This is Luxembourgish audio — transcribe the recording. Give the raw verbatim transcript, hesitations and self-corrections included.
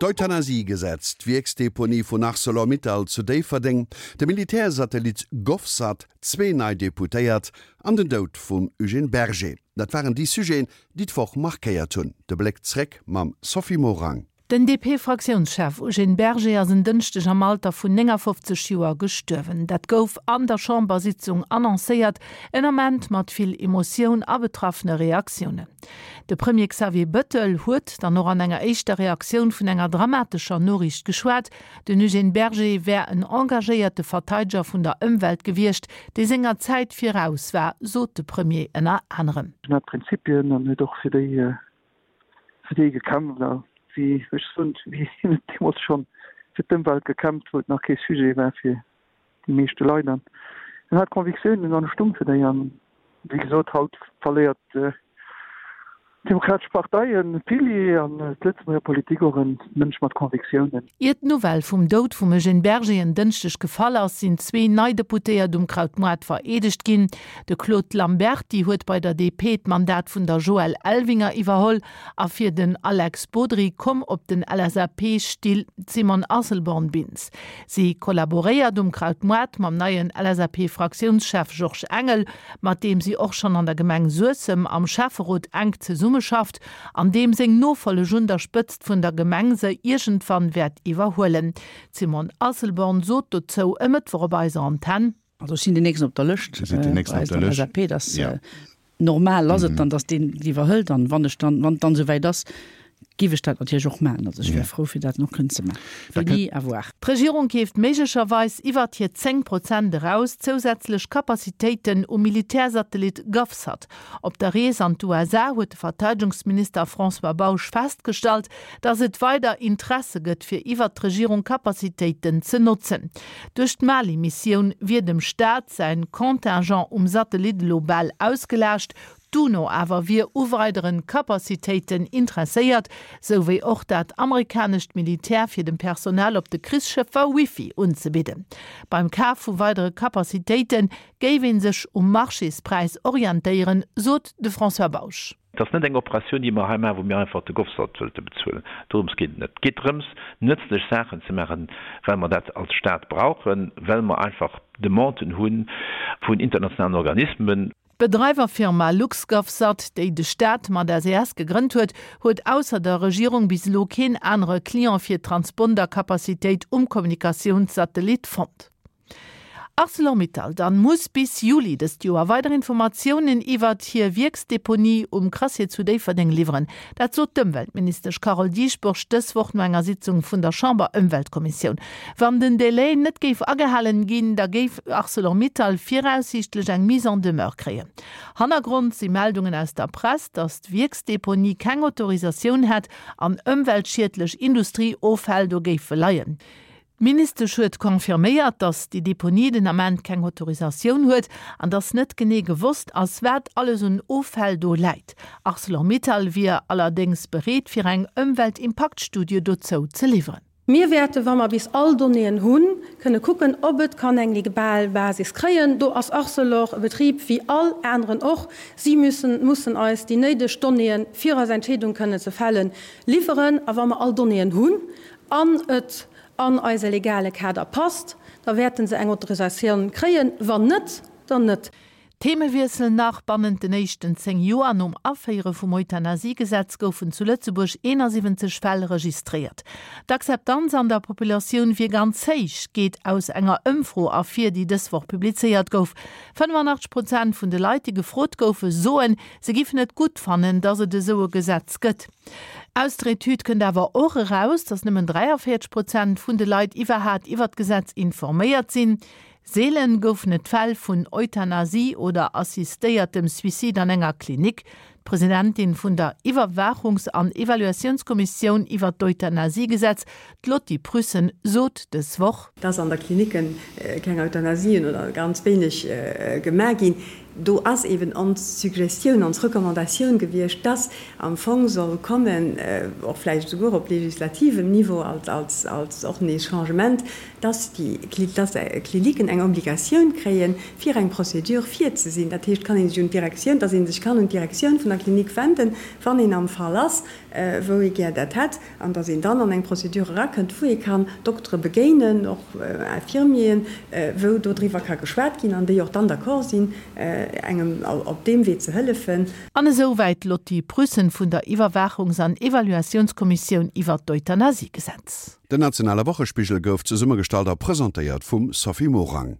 D'Euthanasiegesetz, d'Wierksdeponie vun Arcelor-Mittal zu Déifferdeng, de Militärsatellit Govsat, zwee nei Deputéiert an den Doud vum Eugène Berger, dat waren déi Sujeten, déi d'Woch markéiert hunn. De Bléck zréck mam Sophie Morang. Den D P-Fraktiounschef Eugène Berger ass en Dënschdeg am Alter vun néngafofzeg Joer gestuerwen. Dat gouf an der Chambersitzung annoncéiert, en Ament mat vill Emotioun a betraffene Reaktiounen. De Premier Xavier Bettel huet dann och an enger éischter Reaktioun vun enger dramatescher Noriicht geschwat. Den Eugène Berger wär en engagéierte Verteideger vun der Ëmwelt gewiescht, dee senger Zäit viraus war, sot de Premier ënner anerem. En hat Prinzipien an huet och fir déi fir déi gekämpft, a wéi ech soen, wéi hien huet deemools schonn fir d'Ëmwelt gekämpft, wou et nach kee Sujet war fir déi meeschte Leit. An en hat Convictiounen an e stung fir déi. An wéi gesot, haut verléiert d'Demokratesch Partei e Pilier an d'Lëtzebuerger Politik och e Mënsch mat Convictiounen. Ier d'Nouvelle vum Doud vum Eugène Berger en Dënschdeg gefall ass, sinn zwee nei Deputéiert um Krautmoart vereedegt ginn. De Claude Lamberty huet bei der D P d'Mandat vun der Joëlle Elvinger iwwerholl a fir den Alex Bodry koum op den L S A P-Still d'Simone Asselborn-Bintz. Si kollaboréiert um Krautmoart mam neien L S A P-Fraktiounschef Georges Engel, mat deem si och schonn an der Gemeng Suessem am Schäfferot enk zesummeschafft, an deem seng Nofolleg un der Spëtzt vun der Gemeng se iergendwann wäert iwwerhuelen. D'Simone Asselborn sot dozou e Mëttwoch op eiser Antenn: Also ech sinn den nächsten op der Lëscht. Sie sind den nächsten bei op der der Lëscht. L S A P, dass Ja. normal ass et dann, dass deen iwwerhëlt, an wann ech dann, wann et dann esouwäit ass, giff ech dat natierlech och maachen. Also ech wär frou fir dat nach kënnen ze maachen. Wéini, à voir. D'Regierung keeft méiglecherweis iwwert hir zéng Prozent eraus zousätzlech Capacitéiten um Militärsatellit GovSat. Op der Rees an d'U S A huet de Verteidegungsminister François Bausch festgestallt, datt et weider Interesse gëtt fir iwwert d'Regierung Capacitéiten ze notzen. Duerch d'Mali-Missioun wier dem Staat säin Contingent um Satellit elo bal ausgelaascht, d'UNO awer wier u weidere Capacitéiten interesséiert, sou wéi och dat amerikanescht Militär fir dem Personal op de Krichsschëffer Wifi unzebidden. Beim Kaf vu weidere Capacitéite géif ee sech um Marchéspräis orientéieren, sot de François Bausch. Dat ass net eng Operatioun, déi mer hei maachen, wou mir einfach de Govsat wëlte bezuelen. Dorëms geet et net. Et geet drëms, nëtzlech Saachen ze maachen, well mer dat als Staat brauchen, well mer einfach Demanden hu vun internationalen Organismen. D'Bedreiwerfirma LuxGovSat, déi de Staat mat S E S gegrënnt huet, huet ausser der Regierung bis elo keen anere Client fir Transpondercapacitéit um Kommunikatiounssatellit fonnt. ArcelorMittal dann muss bis Juli dëst Joer weider Informatiounen iwwert hir Wierksdeponie um Crassier zu Déifferdeng liwweren. Dat sot d'Ëmweltministesch Carole Dieschbourg dës Woch no enger Sitzung vun der Chamber-Ëmweltkommissioun. Wann den Delai net géif agehalen ginn, da géif ArcelorMittal viraussiichtlech eng Mise en demeure kréien. Hannergrond si Meldungen aus der Press, datt d'Wierksdeponie keng Autorisatioun hätt an ëmweltschiedlech Industrieoffäll do géife leien. D'Ministesch huet confirméiert, datt déi Deponie den Ament keng Autorisatioun huet an datt net genee gewosst ass, wat alles un Offäll do läit. ArcelorMittal wier allerdéngs bereet fir eng Ëmweltimpaktstudie dozou ze liwweren. Mir wäerten, wa mer bis all Donnéeën hunn, kënne kucken, ob et kann eng legal Basis kréien. Do ass Arcelor e Betrib wéi all aneren och. Si müssen mussen eis déi néideg Donnéeën, fir eis Entscheedung kënnen ze fällen, liwweren. A wa mer all Donnéeën hunn an et an eise legale Kader passt, da wäerten se eng Autorisatioun kréien. Wann net, dann net. Themewiessel nach, Bannent den éischten zéng Joer nom Aféiere vum Euthanasiegesetz goufen zu Lëtzebuerg eenasiwwenzeg Fäll registréiert. D'Akzeptanz an der Populatioun wier ganz héich, geet aus enger Ëmfro ervir, déi dës Woch publizéiert gouf. fënnefanachteg Prozent vun de Leit, déi gefrot goufen, soen, se giffen et gutt fannen, datt et esou e Gesetz gëtt. Aus der Etüd kënnt awer och eraus, datt nëmmen dräiavéierzeg Prozent vun de Leit iwwerhaapt iwwer d'Gesetz informéiert sinn. Seelen goufen et Fäll vun Euthanasie oder assistéiertem Suicide an enger Klinik. D'Presidentin vun der Iwwerwaachungs an Evaluatiounskommissioun iwwer d'Euthanasiegesetz, d'Lotty Prüssen, sot dës Woch: Dass an der Klinicken keng Euthanasien oder ganz wéineg gemaach ginn, Do ass eben ons Suggestioun, ons Recommandatioun gewiescht, dass am Fong soll kommen, och vläicht esouguer op legislativem Niveau als, als, als och nees Changement, dass déi, dass Kliniken eng Obligatioun kréien, fir eng Procédure virzesinn. Dat heescht, kann ee sech un d'Direktioun, dass ee sech kann un d'Direktioun vun der Klinik wenden, wann een am Fall ass, wou ee gär dat hätt, an dass een dann an eng Procédure erakënnt, wou ee kann Doktere begéinen, och Infirmieren, wou dodriwwer ka geschwat ginn an déi och dann d'accord sinn, engem op deem Wee ze hëllefen. An esou wäit d'Lotty Prüssen vun der Iwwerwaachungs an Evaluatiounskommissioun iwwert d'Euthanasiegesetz. Den nationale Wochespigel gouf zesummegestallt a presentéiert vum Sophie Morang.